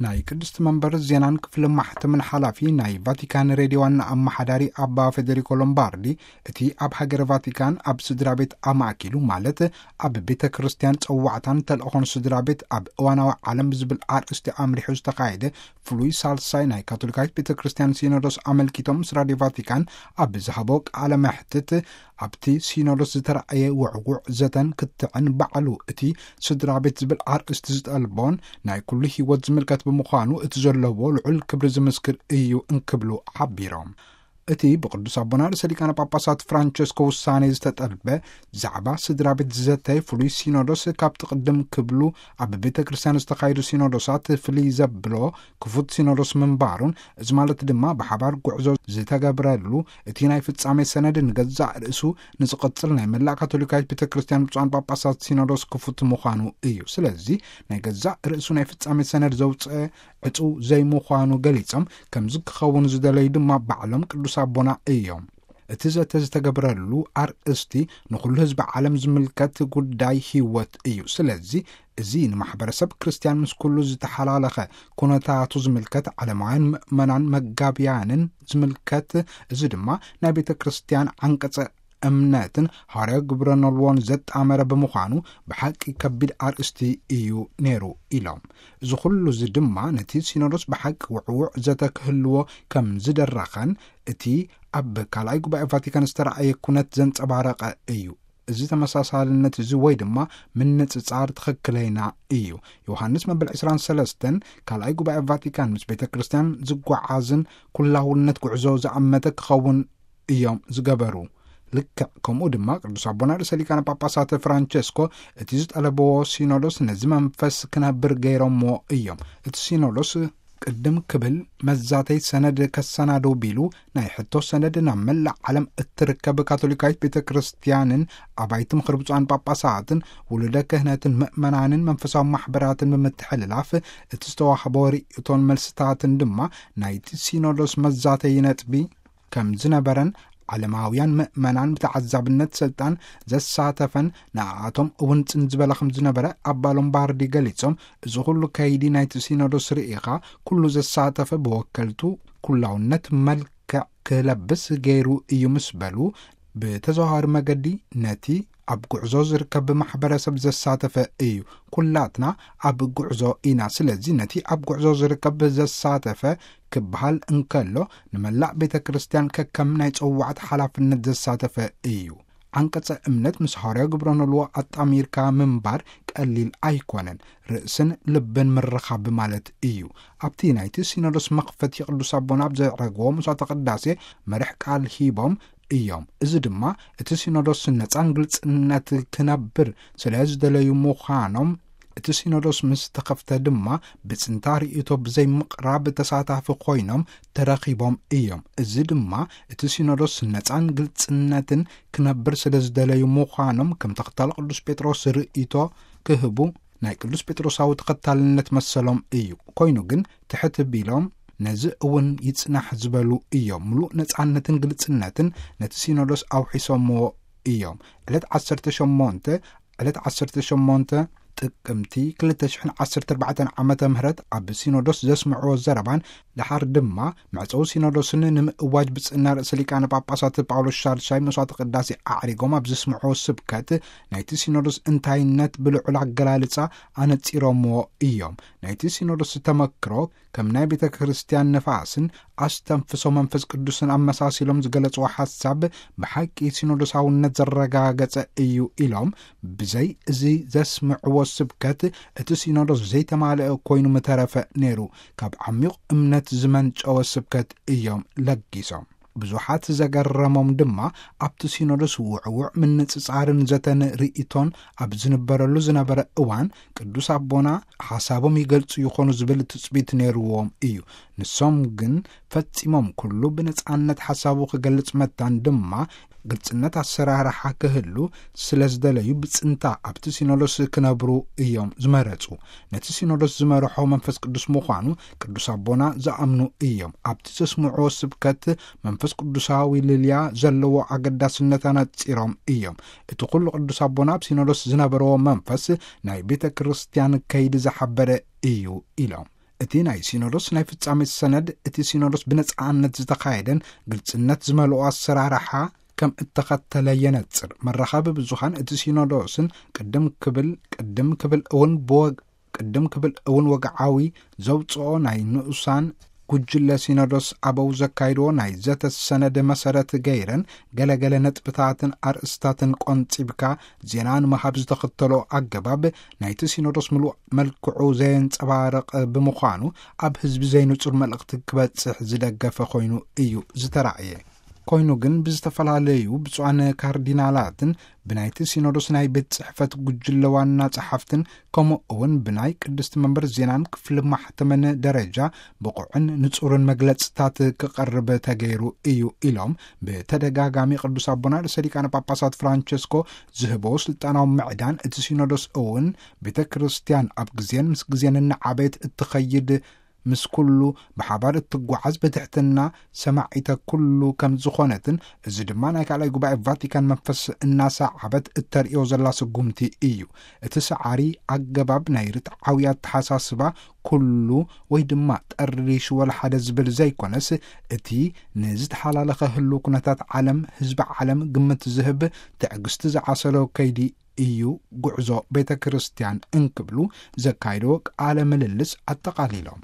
ናይ ቅድስቲ መንበር ዜናን ክፍሊ ማሕተምን ሓላፊ ናይ ቫቲካን ሬድዮ ዋና ኣመሓዳሪ ኣባ ፌዴሪኮ ሎምባርዲ፣ እቲ ኣብ ሃገረ ቫቲካን ኣብ ስድራ ቤት ኣማእኪሉ፣ ማለት ኣብ ቤተ ክርስቲያን ጸዋዕታን ተልእኾን ስድራ ቤት ኣብ እዋናዊ ዓለም ብዝብል ኣርእስቲ ኣምሪሑ ዝተኻየደ ፍሉይ ሳልሳይ ናይ ካቶሊካዊት ቤተ ክርስቲያን ሲኖዶስ ኣመልኪቶም፣ ምስ ራድዮ ቫቲካን ኣብ ዝሃቦ ቃለ መሕትት፣ ኣብቲ ሲኖዶስ ዝተራእየ ውዕውዕ ዘተን ክትዕን ባዕሉ እቲ ስድራ ቤት ዝብል ኣርእስቲ ዝጠልቦን ናይ ኩሉ ህይወት ዝምልከት ብምዃኑ እቲ ዘለዎ ልዑል ክብሪ ዝምስክር እዩ እንክብሉ ሓቢሮም። እቲ ብቅዱስ ኣቦና ርእሰ ሊቃነ ጳጳሳት ፍራንቸስኮ ውሳኔ ዝተጠልበ ዛዕባ ስድራ ቤት ዝዘተ ፍሉይ ሲኖዶስ ካብቲ ቅድም ክብሉ ኣብ ቤተ ክርስቲያን ዝተኻየዱ ሲኖዶሳት ፍልይ ዘብሎ ክፉት ሲኖዶስ ምንባሩን፣ እዚ ማለት ድማ ብሓባር ጉዕዞ ዝተገብረሉ እቲ ናይ ፍጻሜ ሰነድ ንገዛእ ርእሱ ንዝቕጽል ናይ መላእ ካቶሊካዊት ቤተ ክርስቲያን ብፁዓን ጳጳሳት ሲኖዶስ ክፉት ምዃኑ እዩ። ስለዚ ናይ ገዛእ ርእሱ ናይ ፍጻሜ ሰነድ ዘውፅአ ዕጹው ዘይምዃኑ ገሊጾም፣ ከምዚ ክኸውን ዝደለዩ ድማ ባዕሎም ቅዱስ ኣቦና እዮም። እቲ ዘተ ዝተገብረሉ ኣርእስቲ ንኹሉ ህዝቢ ዓለም ዝምልከት ጉዳይ ህይወት እዩ። ስለዚ እዚ ንማሕበረሰብ ክርስቲያን ምስ ኩሉ ዝተሓላለኸ ኩነታቱ ዝምልከት፣ ዓለማውያን ምእመናን መጋብያንን ዝምልከት፣ እዚ ድማ ናይ ቤተ ክርስቲያን ዓንቀጸ እምነትን ሃዋርያዊ ግብረ ኖልዎን ዘጣመረ ብምዃኑ ብሓቂ ከቢድ ኣርእስቲ እዩ ነይሩ ኢሎም። እዚ ኩሉ እዚ ድማ ነቲ ሲኖዶስ ብሓቂ ውዕውዕ ዘተ ክህልዎ ከም ዝደረኸን እቲ ኣብ ካልኣይ ጉባኤ ቫቲካን ዝተረኣየ ኩነት ዘንጸባረቐ እዩ። እዚ ተመሳሳልነት እዚ ወይ ድማ ምንጽጻር ትኽክለይና እዩ። ዮሃንስ መበል ዕስራን ሰለስተን ካልኣይ ጉባኤ ቫቲካን ምስ ቤተ ክርስቲያን ዝጓዓዝን ኩላውነት ጉዕዞ ዝኣመተ ክኸውን እዮም ዝገበሩ። ልክዕ ከምኡ ድማ ቅዱስ ኣቦና ርእሰ ሊቃነ ጳጳሳት ፍራንቸስኮ እቲ ዝጠለብዎ ሲኖዶስ ነዚ መንፈስ ክነብር ገይሮምዎ እዮም። እቲ ሲኖዶስ ቅድም ክብል መዛተይ ሰነድ ከሰናድው ቢሉ ናይ ሕቶ ሰነድ ናብ መላእ ዓለም እትርከብ ካቶሊካዊት ቤተ ክርስቲያንን ኣባይቲ ምኽሪ ብፁዓን ጳጳሳትን ውሉደ ክህነትን ምእመናንን መንፈሳዊ ማሕበራትን ብምትሕልላፍ እቲ ዝተዋህቦ ርእይቶን መልስታትን ድማ ናይቲ ሲኖዶስ መዛተይ ነጥቢ ከም ዝነበረን ዓለማውያን ምእመናን ብተዓዛብነት ስልጣን ዘሳተፈን ንኣኣቶም እውን ጽን ዝበለ ከም ዝነበረ ኣባ ሎምባርዲ ገሊጾም፣ እዚ ኩሉ ከይዲ ናይቲ ሲኖዶስ ርኢኻ ኩሉ ዘሳተፈ ብወከልቱ ኩላውነት መልክዕ ክለብስ ገይሩ እዩ ምስ በሉ፣ ብተዘዋዋሪ መገዲ ነቲ ኣብ ጉዕዞ ዝርከብ ማሕበረሰብ ዘሳተፈ እዩ። ኩላትና ኣብ ጉዕዞ ኢና። ስለዚ ነቲ ኣብ ጉዕዞ ዝርከብ ዘሳተፈ ክበሃል እንከሎ፣ ንመላእ ቤተ ክርስቲያን ከከም ናይ ጸዋዕት ሓላፍነት ዘሳተፈ እዩ። ዓንቀጸ እምነት ምስ ሃዋርያዊ ግብረ ኖልዎ ኣጣሚርካ ምንባር ቀሊል ኣይኮነን። ርእስን ልብን ምርኻብ ማለት እዩ። ኣብቲ ናይቲ ሲኖዶስ መኽፈቲ ቅዱስ ኣቦና ኣብ ዘዕረግዎ መስዋዕተ ቅዳሴ መርሕ ቃል ሂቦም እዮም። እዚ ድማ እቲ ሲኖዶስ ነጻን ግልጽነት ክነብር ስለ ዝደለዩ ምዃኖም፣ እቲ ሲኖዶስ ምስ ተኸፍተ ድማ ብጽንታ ርእይቶ ብዘይምቕራብ ተሳታፊ ኮይኖም ተረኺቦም እዮም። እዚ ድማ እቲ ሲኖዶስ ነጻን ግልጽነትን ክነብር ስለ ዝደለዩ ምዃኖም ከም ተኸታሊ ቅዱስ ጴጥሮስ ርእይቶ ክህቡ ናይ ቅዱስ ጴጥሮሳዊ ተኸታልነት መሰሎም እዩ። ኮይኑ ግን ትሕት ቢሎም ነዚ እውን ይጽናሕ ዝበሉ እዮም። ምሉእ ነጻነትን ግልጽነትን ነቲ ሲኖዶስ ኣውሒሶምዎ እዮም። ዕለት ዓሰርተ ሸሞንተ፣ ዕለት ዓሰርተ ሸሞንተ ጥቅምቲ ክልተ ሽሕን ዓሰርተ ኣርባዕተን ዓመተ ምህረት ኣብ ሲኖዶስ ዘስምዕዎ ዘረባን ድሓር ድማ መዕጸዊ ሲኖዶስን ንምእዋጅ ብጽና ርእሰ ሊቃነ ጳጳሳት ጳውሎስ ሻድሻይ መስዋዕተ ቅዳሴ ኣዕሪጎም ኣብ ዘስምዕዎ ስብከት ናይቲ ሲኖዶስ እንታይነት ብልዑል ኣገላልጻ ኣነጺሮምዎ እዮም። ናይቲ ሲኖዶስ ተመክሮ ከም ናይ ቤተ ክርስቲያን ነፋስን ኣስተንፍሶ መንፈስ ቅዱስን ኣመሳሲሎም ዝገለጽዎ ሓሳብ ብሓቂ ሲኖዶሳውነት ዘረጋገጸ እዩ ኢሎም፣ ብዘይ እዚ ዘስምዕዎ ስብከት እቲ ሲኖዶስ ዘይተማልአ ኮይኑ ምተረፈ ነይሩ፣ ካብ ዓሚቕ እምነት ዝመንጨወ ስብከት እዮም ለጊሶም። ብዙሓት ዘገረሞም ድማ ኣብቲ ሲኖዶስ ውዕውዕ ምንጽጻርን ዘተን ርእይቶን ኣብ ዝንበረሉ ዝነበረ እዋን ቅዱስ ኣቦና ሓሳቦም ይገልጹ ይኾኑ ዝብል ትጽቢት ነይርዎም እዩ። ንሶም ግን ፈጺሞም ኩሉ ብነጻነት ሓሳቡ ክገልጽ መታን ድማ ግልጽነት ኣሰራርሓ ክህሉ ስለ ዝደለዩ ብጽንታ ኣብቲ ሲኖዶስ ክነብሩ እዮም ዝመረጹ። ነቲ ሲኖዶስ ዝመርሖ መንፈስ ቅዱስ ምዃኑ ቅዱስ ኣቦና ዝኣምኑ እዮም። ኣብቲ ዘስምዕዎ ስብከት መንፈስ ቅዱሳዊ ልልያ ዘለዎ ኣገዳስነት ኣነጺሮም እዮም። እቲ ኩሉ ቅዱስ ኣቦና ኣብ ሲኖዶስ ዝነበረዎ መንፈስ ናይ ቤተ ክርስቲያን ከይዲ ዝሓበረ እዩ ኢሎም። እቲ ናይ ሲኖዶስ ናይ ፍጻሜ ሰነድ፣ እቲ ሲኖዶስ ብነጻነት ዝተኻየደን ግልጽነት ዝመልኦ ኣሰራርሓ ከም እተኸተለ የነጽር። መራኸቢ ብዙኻን እቲ ሲኖዶስን ቅድም ክብል ቅድም ክብል እውን ብወግ ቅድም ክብል እውን ወግዓዊ ዘውጽኦ ናይ ንኡሳን ጉጅለ ሲኖዶስ ኣበው ዘካይድዎ ናይ ዘተ ሰነድ መሰረት ገይረን፣ ገለገለ ነጥብታትን ኣርእስታትን ቆንጺብካ ዜና ንምሃብ ዝተኸተሎ ኣገባብ ናይቲ ሲኖዶስ ምሉእ መልክዑ ዘየንጸባርቕ ብምዃኑ፣ ኣብ ህዝቢ ዘይንጹር መልእኽቲ ክበጽሕ ዝደገፈ ኮይኑ እዩ ዝተራእየ። ኮይኑ ግን ብዝተፈላለዩ ብፁዓን ካርዲናላትን ብናይቲ ሲኖዶስ ናይ ቤት ጽሕፈት ጉጅለ ዋና ጸሓፍትን ከምኡ እውን ብናይ ቅድስቲ መንበር ዜናን ክፍሊ ማሕተምን ደረጃ ብቑዕን ንጹርን መግለጽታት ክቐርብ ተገይሩ እዩ ኢሎም። ብተደጋጋሚ ቅዱስ ኣቦና ርእሰ ሊቃነ ጳጳሳት ፍራንቸስኮ ዝህቦ ስልጣናዊ ምዕዳን እቲ ሲኖዶስ እውን ቤተ ክርስቲያን ኣብ ግዜን ምስ ግዜን እናዓበየት እትኸይድ፣ ምስ ኩሉ ብሓባር እትጓዓዝ ብትሕትና ሰማዒተ ኩሉ ከም ዝኾነትን፣ እዚ ድማ ናይ ካልኣይ ጉባኤ ቫቲካን መንፈስ እናሰዓበት እተርእዮ ዘላ ስጉምቲ እዩ። እቲ ሰዓሪ ኣገባብ ናይ ርትዓዊ ኣተሓሳስባ ኩሉ ወይ ድማ ጠሪሽ ወላ ሓደ ዝብል ዘይኮነስ፣ እቲ ንዝተሓላለኸ ህሉ ኩነታት ዓለም፣ ህዝቢ ዓለም ግምት ዝህብ ትዕግስቲ ዝዓሰሎ ከይዲ እዩ ጉዕዞ ቤተ ክርስቲያን እንክብሉ ዘካይዶ ቃለ ምልልስ ኣጠቓሊሎም።